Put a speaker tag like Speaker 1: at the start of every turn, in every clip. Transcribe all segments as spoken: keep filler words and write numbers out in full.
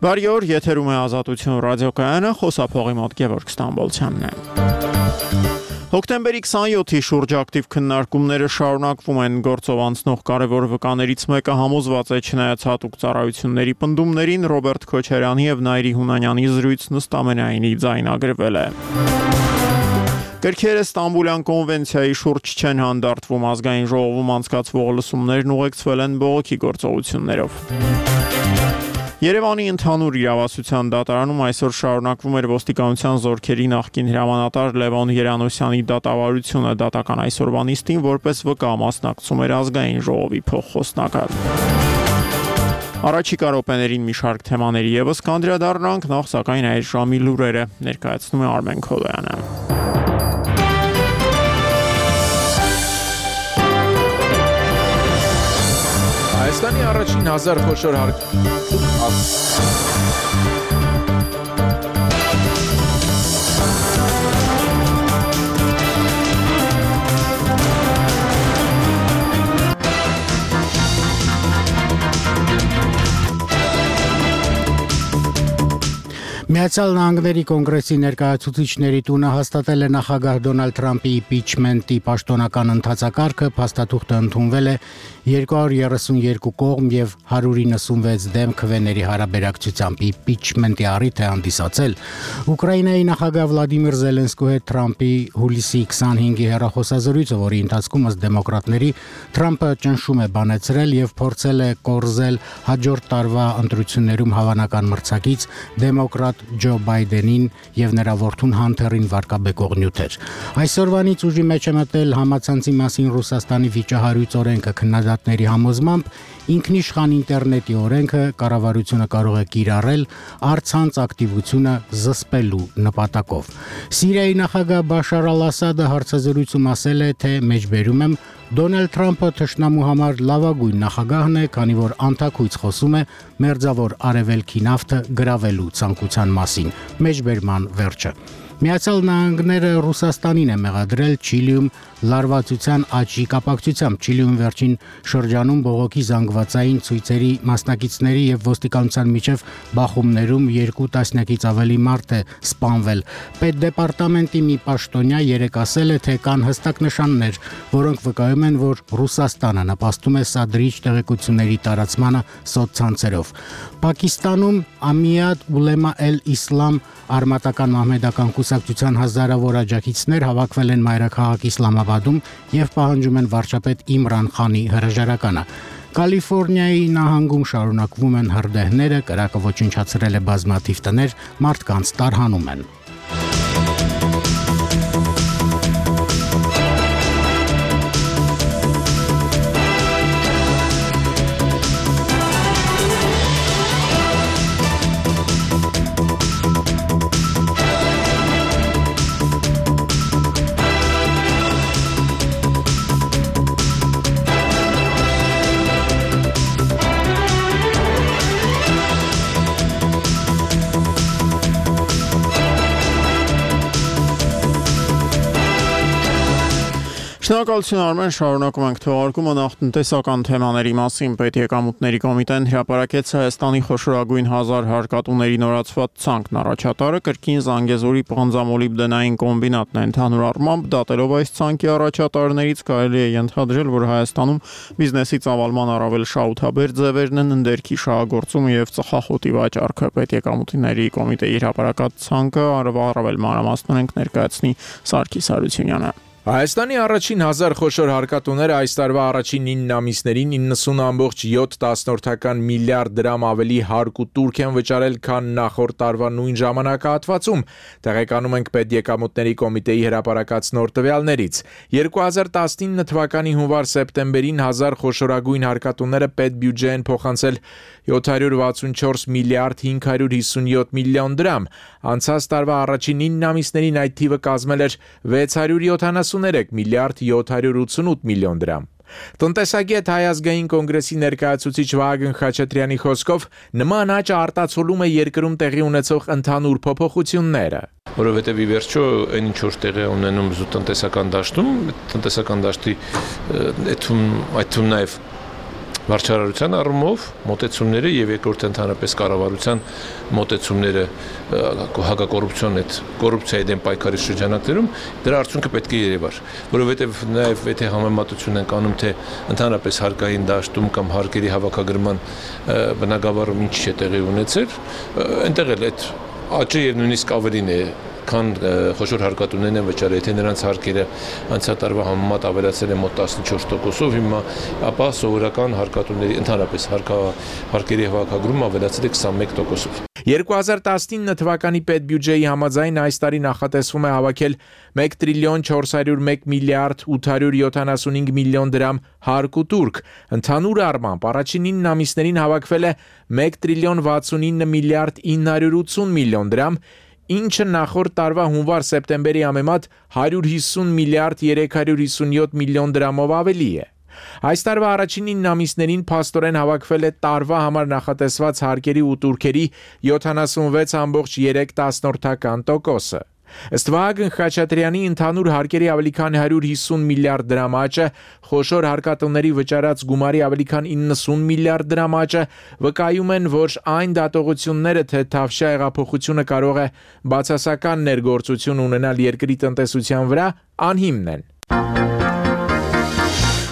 Speaker 1: Բարի օր, եթերում է Ազատություն ռադիոկայանը, խոսափողի մոտ Գևորգ Ստամբոլցյանն է։ Հոկտեմբերի քսանյոթի շուրջ ակտիվ քննարկումները շարունակվում են գործով անցնող կարևոր վկաներից մեկը համոզված է չնայած հատուկ ծառայությունների պնդումներին Ռոբերտ Քոչարյանի եւ Նայիրի Հունանյանի զրույցն ըստ ամենայնի ձայնագրվել է։ Կրքերը Ստամբուլյան կոնվենցիայի շուրջ չեն հանդարտվում, ազգային ժողովում անցկացվող լսումներն ուղեկցվել են բողոքի գործողություններով։ Երևանի ընդհանուր իրավասության դատարանում այսօր շարունակվում էր ոստիկանության զորքերի նախկին հրամանատար Լևոն Երանոսյանի դատավարությունը դատական այսօրվա նիստին որպես վկա մասնակցում էր ազգային ժողովի փոխխոսնակը։ Առաջիկա րոպեներին մի շարք թեմաների ևս կանդրադառնանք, նախ սակայն այս ժամի լուրերը ներկայացնում է Արմեն Քոլոյանը։
Speaker 2: Հայաստանի առաջին հազար խոշոր հարկ
Speaker 3: Միացյալ Նահանգների կոնգրեսի ներկայացուցիչների տունը հաստատել է նախագահ Դոնալդ Թրամփի իմպիչմենտի պաշտոնական ընթացակարգը, փաստաթուղթը ընդունվել է երկու հարյուր երեսունյոթ կողմ եւ հարյուր իննսունվեց դեմ քվեների հարաբերակցությամբ իմպիչմենտի առիթ է հանդիսացել։ Ուկրաինայի նախագահ Վլադիմիր Զելենսկու հետ Թրամփի հուլիսի քսանհինգի հեռախոսազրույցը, որի ընթացքում ըստ դեմոկրատների Թրամփը ճնշում է բանեցրել եւ փորձել է կորզել հաջորդ տարվա ընտրություններում հավանական մրցակից դեմոկրատ Ջո Բայդենին եւ նրա որդուն Հանթերին վարկաբեկող նյութեր։ Այսօրվանից ուժի մեջ է մտել համացանցի մասին Ռուսաստանի վիճահարույց օրենքը քննադատների համոզմամբ ինքնիշխան ինտերնետի օրենքը կառավարությունը կարող է կիրառել առցանց ակտիվությունը զսպելու նպատակով։ Սիրիայի նախագահ Բաշար Ալ-Ասադը հարցազրույցում ասել է, թե մեջբերում եմ Դոնալդ Թրամփը թշնամու համար լավագույն նախագահն է, քանի որ անթաքույց խոսում է մերձավոր արևելքի նավթը գրավելու ցանկության մասին։ Մեջբերման վերջը։ Միացյալ Նահանգները Ռուսաստանին է մեղադրել Չիլիում լարվածության աճի կապակցությամբ։ Չիլիում վերջին շրջանում բողոքի զանգվածային ցույցերի մասնակիցների եւ ոստիկանության միջև բախումներում երկու տասնյակից ավելի մարդ է սպանվել։ Պետդեպարտամենտի մի պաշտոնյա երեկ ասել է, թե կան հստակ նշաններ, որոնք վկայում են, որ Ռուսաստանը նպաստում է սադրիչ տեղեկությունների տարածմանը սոցցանցերով։ Պակիստանում Ամիադ Ուլեմա Էլ-Իսլամ արմատական մահմեդական կուսակցության հազարավոր աջակիցներ հավաքվել են մայրաքաղաք Իսլամաբադում եւ պահանջում են վարչապետ Իմրան Խանի հրաժարականը։ Կալիֆոռնիայի նահանգում շարունակվում են հրդեհները, կրակը ոչնչացրել է բազմաթիվ տներ, մարդկանց տարհանում են։
Speaker 1: Շնորհակալություն Արմեն, շարունակում ենք թողարկումը նախ տնտեսական թեմաների մասին։ Պետեկամուտների կոմիտեն հրապարակեց Հայաստանի խոշորագույն հազար հարկատուների նորացված ցանկն առաջատարը կրկին Զանգեզուրի պղնձամոլիբդենային կոմբինատն է։ Ընդհանուր առմամբ դատելով այս ցանկի առաջատարներից կարելի է ենթադրել, որ Հայաստանում բիզնեսի ծավալման առավել շահութաբեր ձևերն են ընդերքի շահագործումը եւ ծխախոտի վաճառքը։ Պետեկամուտների կոմիտեի հրապարակած ցանկը առավել մանրամասնորեն ներկայացնի Սարգիս Հարությունյանը։
Speaker 2: Հայաստանի առաջին հազար խոշոր հարկատուները այս տարվա առաջին ինը ամիսներին իննսուն ամբողջ յոթ միլիարդ դրամ ավելի հարկ ու տուրք են վճարել, քան նախորդ տարվա նույն ժամանակահատվածում։ Տեղեկանում ենք Պետեկամուտների կոմիտեի հրապարակած նոր տվյալներից։ երկու հազար տասնինը թվականի հունվար-սեպտեմբերին հազար խոշորագույն հարկատուները պետբյուջե են փոխանցել յոթ հարյուր վաթսունչորս միլիարդ հինգ հարյուր հիսունյոթ միլիոն դրամ։ Անցած տարվա առաջին ինը ամիսներին այդ թիվը կազմել էր վեց հարյուր յոթանասուններեք միլիարդ յոթ հարյուր ութսունութ միլիոն դրամ։ Տնտեսագետ Հայ ազգային կոնգրեսի ներկայացուցիչ Վահագն Խաչատրյանի խոսքով նման աճը արտացոլում է երկրում տեղի ունեցող ընդհանուր փոփոխությունները։
Speaker 4: Որովհետև ի վերջո այն ինչ որ տեղի ունենում զուտ տնտեսական դաշտում, տնտեսական դաշտի այդ այդ նաև Վարչարարության առումով մոտեցումները եւ երկրորդ ընդհանրապես կառավարության մոտեցումները հակակոռուպցիոն այդ կոռուպցիայի դեմ պայքարի շրջանակներում դրա արդյունքը պետք է երևար, որովհետեւ նաեւ եթե համեմատություն ենք անում թե ընդհանրապես հարկային դաշտում կամ հարկերի հավաքագրման բնագավառում ինչ չէ տեղի ունեցել, այնտեղ էլ այդ աճը եւ նույնիսկ ավելին է քան խոշոր հարկատուներն են վճարել, եթե նրանց հարկերը անցյալ տարվա համեմատ ավելացել են մոտ տասնչորս տոկոսով, հիմա ապա սովորական հարկատուների ընդհանրապես հարկերի հավաքագրումը ավելացել է քսանմեկ տոկոսով։
Speaker 2: երկու հազար տասնինը թվականի պետբյուջեի համաձայն այս տարի նախատեսվում է հավաքել մեկ տրիլիոն չորս հարյուր մեկ միլիարդ ութ հարյուր յոթանասունհինգ միլիոն դրամ հարկ ու տուրք։ Ընդհանուր առմամբ առաջին ինը ամիսներին հավաքվել է մեկ տրիլիոն վաթսունինը միլիարդ ինը հարյուր ութսուն միլիոն դրամ, ինչը նախորդ տարվա հունվար-սեպտեմբերի համեմատ հարյուր հիսուն միլիարդ երեք հարյուր հիսունյոթ միլիոն դրամով ավելի է։ Այս տարվա առաջին ինը ամիսներին փաստորեն հավաքվել է տարվա համար նախատեսված հարկերի ու տուրքերի յոթանասունվեց կόμma երեք տոկոսը։ Ըստ Վահագն Խաչատրյանի ընդհանուր հարկերի ավելի քան հարյուր հիսուն միլիարդ դրամ աճը, խոշոր հարկատուների վճարած գումարի ավելի քան իննսուն միլիարդ դրամ աճը վկայում են, որ այն դատողությունները, թե Թավշյա հեղափոխությունը կարող է բացասական ներգործություն ունենալ երկրի տնտեսության վրա, անհիմն են։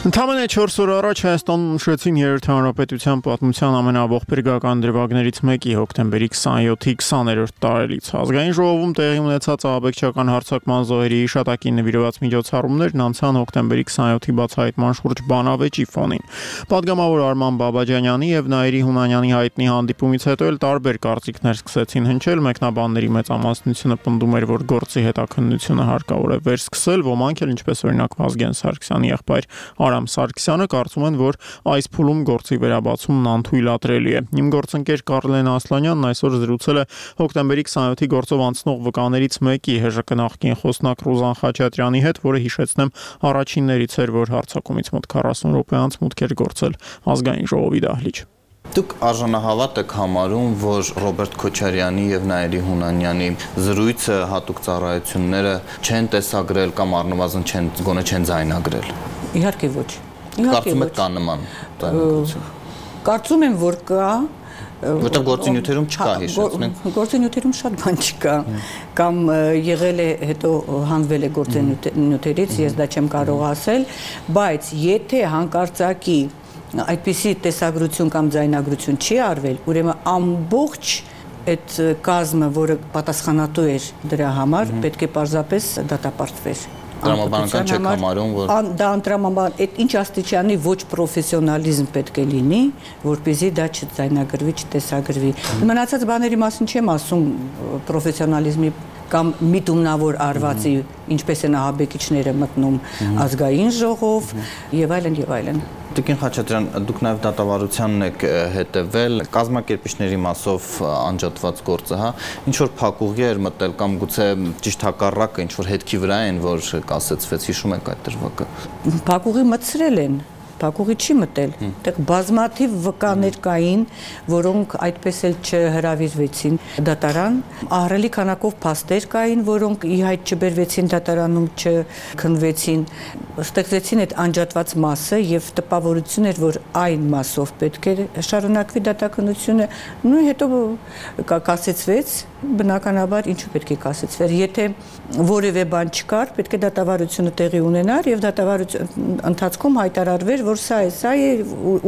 Speaker 1: Ընդամենը չորս օր առաջ Հայաստանում նշեցին երրորդ հանրապետության պատմության ամենաողբերգական դրվագներից մեկի հոկտեմբերի քսանյոթի քսաներորդ տարելից։ Ազգային ժողովում տեղի ունեցած ահաբեկչական հարձակման զոհերի հիշատակին նվիրված միջոցառումներն անցան հոկտեմբերի քսանյոթի բացահայտման շուրջ բանավեճի ֆոնին։ Պատգամավոր Արման Բաբաջանյանի եւ Նաիրի Հունանյանի հայտնի հանդիպումից հետո էլ տարբեր կարծիքներ սկսեցին հնչել, մեկնաբանների մեծամասնությունը պնդում էր, որ գործի հետաքննությունը հարկավոր է վերսկսել, ոմանք էլ ինչպես օրինակ Վազգեն Սարգսյանի եղբայր Արամ Սարգսյանը կարծում են, որ այս փուլում գործի վերաբացումն անթույլատրելի է։ Իմ գործընկեր Կարլեն Ասլանյանն այսօր զրուցել է հոկտեմբերի քսանյոթի գործով անցնող վկաներից մեկի ՀԺԿ նախկին խոսնակ Ռուզան Խաչատրյանի հետ, որը հիշեցնեմ առաջիններից էր, որ հարձակումից մոտ քառասուն րոպե անց մուտք էր գործել ազգային ժողովի դահլիճ։
Speaker 5: Դուք արժանահավատ եք համարում, որ Ռոբերտ Քոչարյանի եւ Նաիրի Հունանյանի զրույցը հատուկ ծառայությունները չեն տեսագրել կամ առնվազն չեն գոնե չեն ձայնագրել։
Speaker 6: Իհարկե ոչ։
Speaker 5: Կարծում եք կա նման ձայնագրություն։
Speaker 6: Կարծում եմ, որ կա,
Speaker 5: որտեղ գործի նյութերում չկա, հիշեցնենք։
Speaker 6: Գործի նյութերում շատ բան չկա, կամ եղել է հետո հանվել է գործի նյութերից, ես դա չեմ կարող ասել, բայց եթե հանկարծակի այդպիսի տեսագրություն կամ ձայնագրություն չի արվել, ուրեմն ամբողջ այդ կազմը, որը պատասխանատու էր դրա համար, պետք է պարզապես դատապարտվեր։
Speaker 5: Տրամաբանական չեք համարում, որ
Speaker 6: դա տրամաբան, այդ ինչ աստիճանի ոչ պրոֆեսիոնալիզմ պետք է լինի, որպեսզի դա չձայնագրվի, չտեսագրվի։ Մնացած բաների մասին չեմ ասում, պրոֆեսիոնալիզմի կամ միտումնավոր արվածի, ինչպես են ահաբեկիչները մտնում ազգային ժողով եւ այլն եւ այլն։
Speaker 5: Տիկին Խաչատրյան, դուք նաև դատավարությանն եք հետևել, կազմակերպիչների մասով անջատված գործը, հա, ինչ որ փակուղի էր մտել կամ գուցե ճիշտ հակառակը ինչ որ հետքի վրա են, որ կասեցվեց, հիշում եք այդ դրվագը։
Speaker 6: Փակուղի մտցրել են, փակուղի չի մտել, այդտեղ բազմաթիվ վկաներ կային, որոնք այդպես էլ չհրավիրվեցին դատարան, ահռելի քանակով փաստեր կային, որոնք ի հայտ չբերվեցին դատարանում, չքննվեցին, ստեղծեցին այդ անջատված մասը եւ տպավորություն էր, որ այն մասով պետք է շարունակվի դատաքննությունը, նույն հետո կասեցվեց, բնականաբար ինչու պետք է կասեցվեր, եթե որևէ բան չկար, պետք է դատավարությունը տեղի ունենար եւ դատավարության ընթացքում հայտարարվեր, որ սա է, սա է,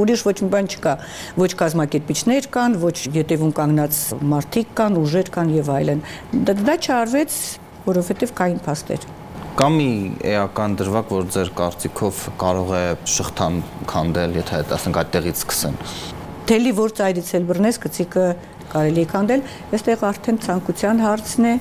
Speaker 6: ուրիշ ոչ մի բան չկա, ոչ կազմակերպիչներ կան, ոչ ետևում կանգնած մարդիկ կան, ուժեր կան եւ այլն։ Դա չարվեց, որովհետեւ կային փաստեր։
Speaker 5: Կա մի էական դրվագ, որ ձեր կարծիքով կարող է շղթան քանդել, եթե ասենք այդտեղից սկսեն։
Speaker 6: Թելի որ ծայրից էլ բռնես, գցիկը կարելի է քանդել, այստեղ արդեն ցանկության հարցն է։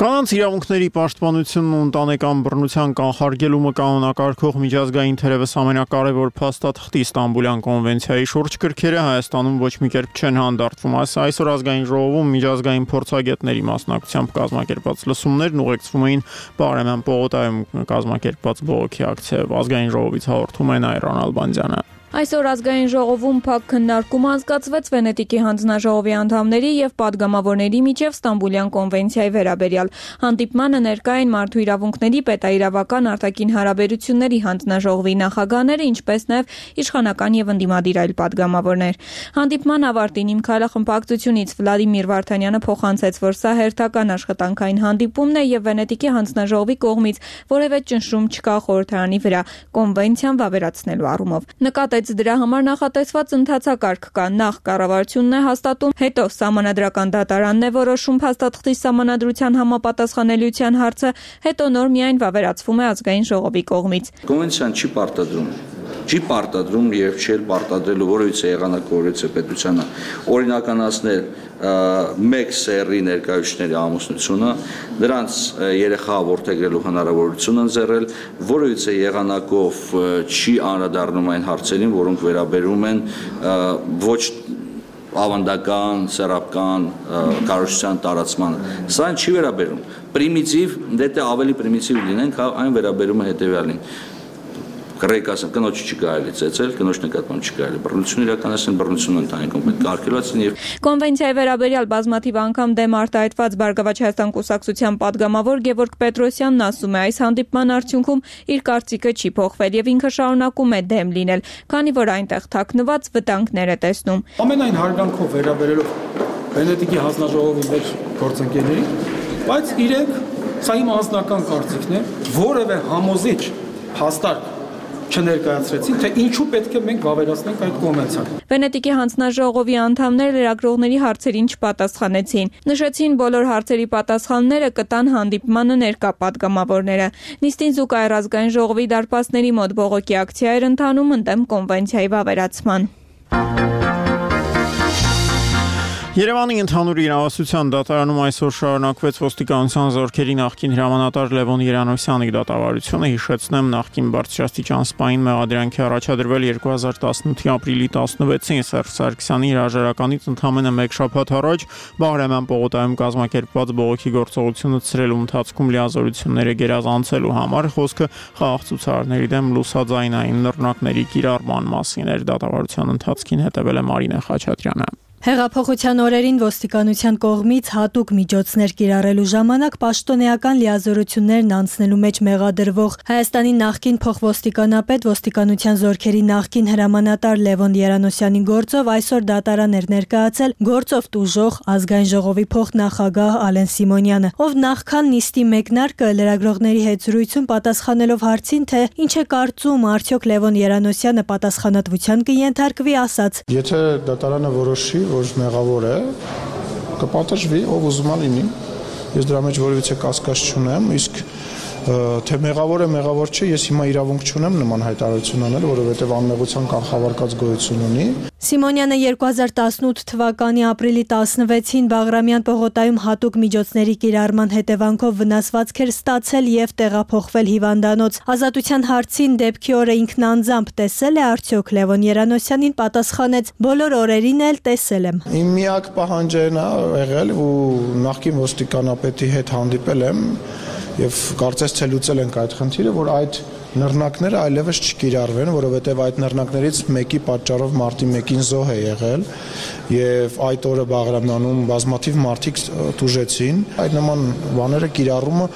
Speaker 1: Կանանց իրավունքների պաշտպանությունն ու ընտանեկան բռնության կանխարգելումը կանոնակարգող միջազգային թերևս ամենակարևոր փաստաթղթի Ստամբուլյան կոնվենցիայի շուրջ գրքերը Հայաստանում ոչ մի կերպ չեն հանդարտվում։ Այսօր ազգային ժողովում միջազգային փորձագետների մասնակցությամբ կազմակերպված լսումներն ուղեկցվում էին Պարենան պողոտայում կազմակերպված բողոքի ակցիայով։ Ազգային ժողովից հաղորդում է Նայիրան Ալբանդյանը։
Speaker 7: Այսօր ազգային ժողովում փակ քննարկում անցկացվեց Վենետիկի հանձնաժողովի անդամների եւ падգամավորների միջև Ստամբուլյան կոնվենցիայի վերաբերյալ։ Հանդիպմանը ներկա էին մարդու իրավունքների պետաիրավական արտաքին հարաբերությունների հանձնաժողովի նախագահները, ինչպես նաեւ իշխանական եւ ընդդիմադիր այլ падգամավորներ։ Հանդիպման ավարտին Իմ քայլախմբակցությունից Վլադիմիր Վարդանյանը փոխանցեց, որ սա հերթական աշխատանքային հանդիպումն է եւ Վենետիկի հանձնաժողովի կողմից որևէ ճնշում չկա խորհրդարանի վրա կոնվենցիան վավերացնելու առումով։ Նկատեց դրա համար նախատեսված ընթացակարգ կա, նախ կառավարությունն է հաստատում, հետո սահմանադրական դատարանն է որոշում փաստաթղթի սահմանադրության համապատասխանելիության հարցը, հետո նոր միայն վավերացվում է ազգային ժողովի կողմից։
Speaker 8: Կոնվենցիան չի պարտադրում չի պարտադրում եւ չէր պարտադրելու որևիցե եղանակ որևիցե պետությանը օրինականացնել մեկ սեռի ներկայացուցիչների ամուսնությունը, դրանց երեխա որդեգրելու հնարավորություն ընձեռել, որևիցե եղանակով չի անդրադառնում այն հարցերին, որոնք վերաբերում են ոչ ավանդական, սեռական կառուցության տարածմանը։ Սա չի վերաբերում։ Պրիմիտիվ, դե ավելի պրիմիտիվ լինենք, այն վերաբերում է հետեւյալին։ Կրեկասն կնոջ չի կարելի ծեծել, կնոջ նկատմամբ չի կարելի բռնություն իրականացնել, բռնությունը ընդհանրապես պետք է արգելվեցին եւ
Speaker 7: Կոնվենցիայի վերաբերյալ բազմաթիվ անգամ դեմ արտահայտված Բարգավաճ Հայաստան կուսակցության падգամավոր Գևորգ Պետրոսյանն ասում է, այս հանդիպման արդյունքում իր կարծիքը չի փոխվել եւ ինքը շարունակում է դեմ լինել, քանի որ այնտեղ թաքնված վտանգներ է տեսնում։
Speaker 9: Ամենայն հարգանքով վերաբերելով Վենետիկի հանձնաժողովի մեր գործընկերներին, բայց իրենք սա իմ անձնական կարծիքն է, որևէ համոզիչ հաստատ չներկայացրեցին, թե ինչու պետք է մենք վավերացնենք այդ կոնվենցիան։
Speaker 7: Վենետիկի հանձնաժողովի անդամները լրագրողների հարցերին չպատասխանեցին։ Նշեցին, բոլոր հարցերի պատասխանները կտան հանդիպմանը ներկա падգամավորները։ Նիստին զուգահեռ ազգային ժողովի դարպասների մոտ բողոքի ակցիա էր ընթանում ընդդեմ կոնվենցիայի վավերացման։
Speaker 1: Երևանի ընդհանուր իրավասության դատարանում այսօր շարունակվեց ոստիկանության զորքերի նախկին հրամանատար Լևոն Երանոսյանի դատավարությունը, հիշեցնեմ, նախկին բարձրաստիճան սպային մեղադրանքի առաջադրվել երկու հազար տասնութի ապրիլի տասնվեցին Սերժ Սարգսյանի հրաժարականից ընդամենը մեկ շաբաթ առաջ Բաղրամյան պողոտայում կազմակերպված բողոքի գործողությունը ցրելու ընթացքում լիազորությունները գերազանցելու համար խոսքը խաղաղ ցուցարարների դեմ լուսաձայնային նռնակների կիրառման մասին էր։ Դատավարության ընթացքին հետևել է Մարինե Խաչատրյանը։
Speaker 10: Հեղափոխության օրերին ոստիկանության կողմից հատուկ միջոցներ կիրառելու ժամանակ պաշտոնեական լիազորություններն անցնելու մեջ մեղադրվող Հայաստանի նախկին փոխոստիկանապետ ոստիկանության զորքերի նախկին հրամանատար Լևոն Երանոսյանի գործով այսօր դատարան էր ներկայացել գործով տուժող ազգային ժողովի փոխնախագահ Ալեն Սիմոնյանը, ով նախքան նիստի մեկնարկը լրագրողների հետ զրույցում պատասխանելով հարցին, թե ինչ է կարծում արդյոք Լևոն Երանոսյանը պատասխանատվության կենթարկվի, ասաց.
Speaker 11: Եթե դատարանը որոշի, որ մեղավոր է, կպատժվի, ով ուզում է լինի։ Ես դրա մեջ որևիցե կասկած չունեմ, իսկ թե մեղավոր է, մեղավոր չէ, ես հիմա իրավունք չունեմ նման հայտարարություն անել, որովհետև անմեղության կանխավարկած գոյություն ունի։
Speaker 10: Սիմոնյանը երկու հազար տասնութ թվականի ապրիլի տասնվեցին Բաղրամյան պողոտայում հատուկ միջոցների կիրառման հետևանքով վնասվածք էր ստացել եւ տեղափոխվել հիվանդանոց։ Ազատության հարցին դեպքի օրը ինքն անձամբ տեսել է արդյոք Լևոն Երանոսյանին, պատասխանեց. բոլոր օրերին էլ տեսել եմ։
Speaker 11: Իմ միակ պահանջն է եղել ու նախկին ոստիկանապետի հետ հանդիպել եմ եւ կարծես թե լուծել ենք այդ խնդիրը, որ այդ նռնակները այլևս չկիրառվեն, որովհետև այդ նռնակներից մեկի պատճառով մարտի մեկին զոհ է եղել եւ այդ օրը Բաղրամյանում բազմաթիվ մարդիկ տուժեցին։ Այդ նման բաները կիրառումը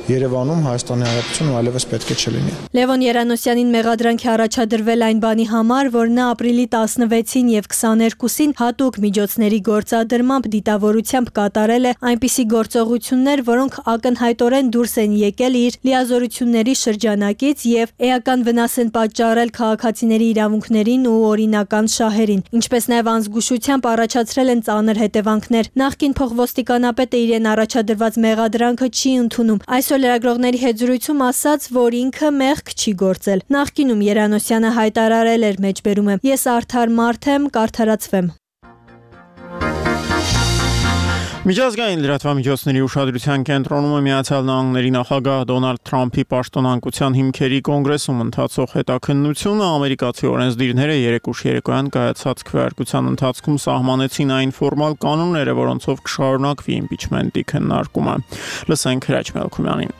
Speaker 11: Երևանում Հայաստանի Հանրապետությունում այլևս պետք է չլինի։
Speaker 10: Լևոն Երանոսյանին մեղադրանքի առաջադրվել այն բանի համար, որ նա ապրիլի տասնվեցին եւ քսաներկուսին հատուկ միջոցների գործադրմամբ դիտավորությամբ կատարել է այնպիսի գործողություններ, որոնք ակնհայտորեն դուրս են եկել իր լիազորությունների շրջանակից եւ էական վնաս են պատճառել քաղաքացիների իրավունքներին ու օրինական շահերին, ինչպես նաեւ անզգուշությամբ առաջացրել են ծանր հետևանքներ։ Նախկին փոխոստիկանապետը իրեն առաջադրված մեղադրանքը չի ընդունում։ Այսօր լրագրողների հետ զրույցում ասաց, որ ինքը մեղք չի գործել։ Նախկինում Երանոսյանը հայտարարել էր մեջբերում եմ. ես արդար մարդ եմ, կարդարացվեմ։
Speaker 1: Միջազգային լրատվամիջոցների ուշադրության կենտրոնում է Միացյալ Նահանգների նախագահ Դոնալդ Թրամփի պաշտոնանկության հիմքերի կոնգրեսում ընթացող հետաքննությունը։ Ամերիկացի օրենսդիրները երեկուշ երեկոյան կայացած քվեարկության ընթացքում սահմանեցին այն ֆորմալ կանոնները, որոնցով կշարունակվի իմպիչմենտի քննարկումը։ Լսենք Հրաչ Մելքումյանին։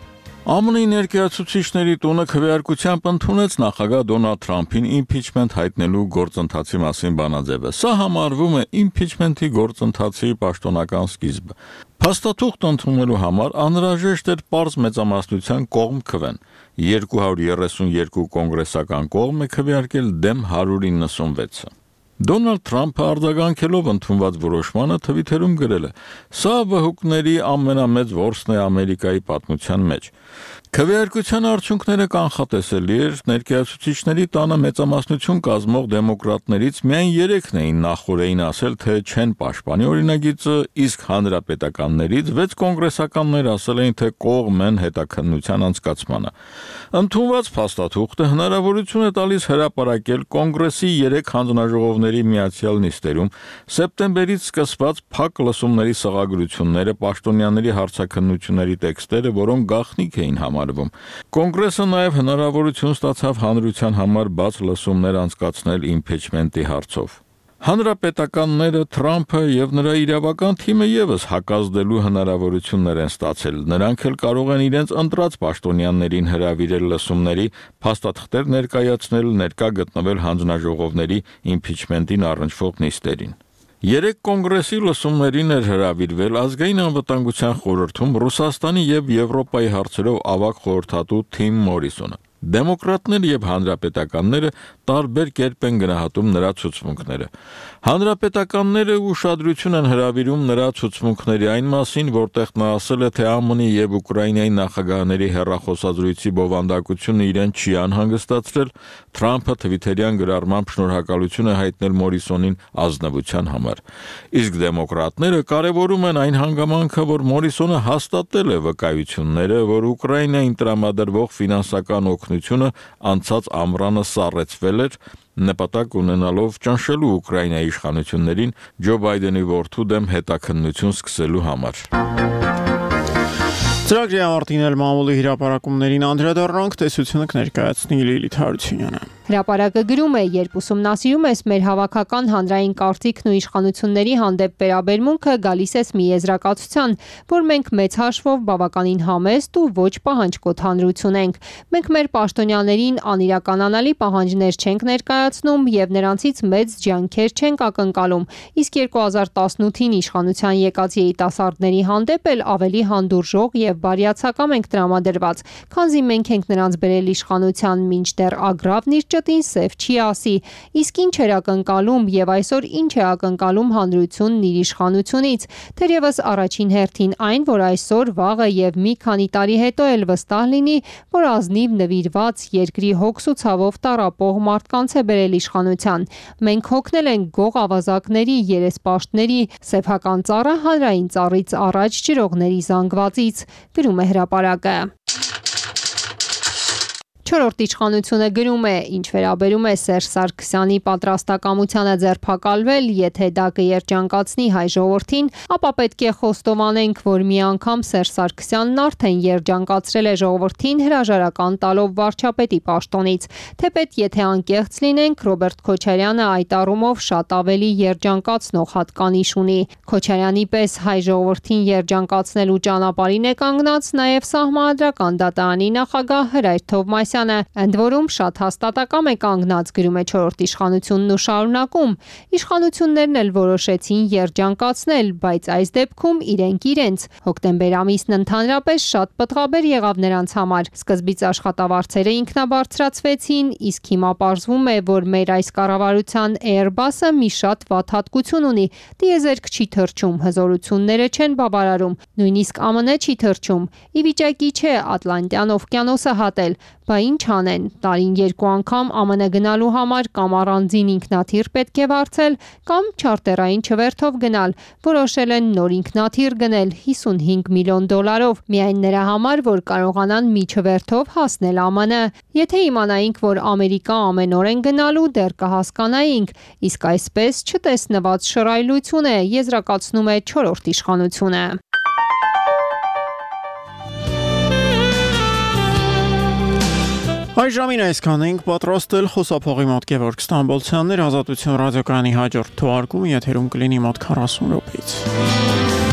Speaker 12: Է Մը ներկայացուցիչների տունը քվեարկությամբ ընդունեց նախագահ Դոնալդ Թրամփին իմպիչմենտ հայտնելու գործընթացի մասին բանաձևը։ Սա համարվում է իմպիչմենտի գործընթացի պաշտոնական սկիզբը։ Փաստաթուղթ ընդունելու համար անհրաժեշտ էր պարզ մեծամասնության կողմ քվեն։ երկու հարյուր երեսունյոթ կոնգրեսական կողմ է քվեարկել դեմ հարյուր իննսունվեցը։ Դոնալդ Թրամփը արձագանքելով ընդունված որոշմանը Թվիթերում գրել է. «Սա վհուկների ամենամեծ որսն է Ամերիկայի պատմության մեջ»։ Քվեարկության արդյունքները կանխատեսելի էր, ներկայացուցիչների տանը մեծամասնություն կազմող դեմոկրատներից միայն երեքն էին նախորդին ասել, թե չեն պաշտպանի օրինագիծը, իսկ հանրապետականներից վեց կոնգրեսականներ ասել էին, թե կողմ են հետաքննության անցկացմանը։ Ընդունված փաստաթուղթը հնարավորություն է տալիս հրապարակել կոնգրեսի երեք հանձնաժողովների միացյալ նիստերում սեպտեմբերից սկսված փակ լսումների սղագրությունները, պաշտոնյաների հարցաքննությունների տեքստերը, որոնք գաղտնիք էին համարվում։ Կոնգրեսը նաև հնարավորություն ստացավ հանրության համար բաց լսումներ անցկացնել իմպիչմենտի հարցով։ Հանրապետականները Թրամփը եւ նրա իրավական թիմը եւս հակազդելու հնարավորություններ են ստացել։ Նրանք էլ կարող են իրենց ընտրած պաշտոնյաներին հրավիրել լսումների, փաստաթղթեր ներկայացնել, ներկա գտնվել հանձնաժողովների իմպիչմենտին առնչվող նիստերին։ Երեք կոնգրեսի լսումներին էր հրավիրվել ազգային անվտանգության խորհրդում Ռուսաստանի եւ Եվրոպայի հարցերով ավագ խորհրդատու Թիմ Մորիսոնը։ Դեմոկրատները եւ հանրապետականները տարբեր կերպ են գնահատում նրա ցուցմունքները։ Հանրապետականները ուշադրություն են հրավիրում նրա ցուցմունքների այն մասին, որտեղ նա ասել է, թե Է Մը-ի եւ Ուկրաինայի նախագահների հեռախոսազրույցի բովանդակությունը իրեն չի անհանգստացրել, Թրամփը Թվիթերյան գրառմամբ շնորհակալություն է հայտնել Մորիսոնին ազնվության համար։ Իսկ դեմոկրատները կարևորում են այն հանգամանքը, որ Մորիսոնը հաստատել է վկայությունները, որ Ուկրաինային տրամադրվող ֆինանսական օգնությունը անցած ամռանը սառեցվել էր, նպատակ ունենալով ճնշելու Ուկրաինայի իշխանություններին Ջո Բայդենի որդու դեմ հետաքննություն սկսելու համար։
Speaker 1: Ծրագրի ավարտին էլ մամուլի հրապարակումներին անդրադառնանք, տեսությունը կներկայացնի Լիլիթ Հարությունյանը։
Speaker 13: Հրապարակը գրում է, երբ ուսումնասիրում ես մեր հավաքական հանրային կարծիքն ու իշխանությունների հանդեպ վերաբերմունքը, գալիս ես մի եզրակացության, որ մենք մեծ հաշվով բավականին համեստ ու ոչ պահանջկոտ հանրություն ենք։ Մենք մեր պաշտոնյաներին անիրականանալի պահանջներ չենք ներկայացնում եւ նրանցից մեծ ջանքեր չենք ակնկալում, իսկ երկու հազար տասնութին իշխանության եկած երիտասարդների հանդեպ էլ ավելի հանդուրժող եւ բարյացակամ ենք տրամադրված, քանզի մենք ենք նրանց բերել իշխանության, մինչդեռ ագրավն իր ճտին սև չի ասի, իսկ ինչ էր ակնկալում եւ այսօր ինչ է ակնկալում հանրությունն իր իշխանությունից, թերևս առաջին հերթին այն, որ այսօր, վաղը եւ մի քանի տարի հետո էլ վստահ լինի, որ ազնիվ նվիրված երկրի հոգս ու ցավով տառապող մարդկանց է բերել իշխանության։ Մենք հոգնել ենք գող ավազակների, երեսպաշտների, սեփական ծառը հանրային ծառից առաջ ջրողների զանգվածից, գրում է հրապարակը։ Չորրորդ իշխանությունը գրում է, ինչ վերաբերում է Սերժ Սարգսյանի պատրաստակամությանը ձերբակալվել, եթե դա կերջանկացնի հայ ժողովրդին, ապա պետք է խոստովանենք, որ մի անգամ Սերժ Սարգսյանն արդեն երջանկացրել է ժողովրդին հրաժարական տալով վարչապետի պաշտոնից, թեպետ եթե անկեղծ լինենք, Ռոբերտ Քոչարյանը այդ առումով շատ ավելի երջանկացնող հատկանիշ ունի։ Քոչարյանի պես հայ ժողովրդին երջանկացնելու ճանապարհին է կանգնած նաև Սահմանադրական դատարանի նախագահ Հրայր Թովմասյանը, ընդ որում շատ հաստատակամ է կանգնած, գրում է չորրորդ իշխանությունն ու շարունակում. իշխանություններն էլ որոշեցին երջանկացնել, բայց այս դեպքում իրենք իրենց։ Հոկտեմբեր ամիսն ընդհանրապես շատ պտղաբեր եղավ նրանց համար։ Սկզբից աշխատավարձերը ինքնաբարձրացվեցին, իսկ հիմա պարզվում է, որ մեր այս կառավարության Airbus-ը մի շատ վատ հատկություն ունի՝ տիեզերք չի թռչում, հզորությունները չեն բավարարում, նույնիսկ Է Մը չի թռչում, ի վիճակի չէ Ատլանտյան օվկիանոսը հատել, բա ինչ անեն, տարին երկու անգամ Է Մը գնալու համար կամ առանձին ինքնաթիռ պետք է վարձել, կամ չարտերային չվերթով գնալ, որոշել են նոր ինքնաթիռ գնել հիսունհինգ միլիոն դոլարով, միայն նրա համար, որ կարողանան մի չվերթով հասնել Է Մը։ Եթե իմանայինք, որ Ամերիկա ամենօրեն գնալու, դեռ կհասկանայինք, իսկ այսպես չտեսնված շռայլություն է, եզրակացնում է չորրորդ իշխանությունը։
Speaker 1: Այս ժամին այսքան ենք պատրաստել խոսափողի մոտ Գևորգ Ստամբոլցյաններ, Ազատություն ռադիոկայանի հաջորդ թողարկումը եթերում կլինի մոտ քառասուն րոպեից։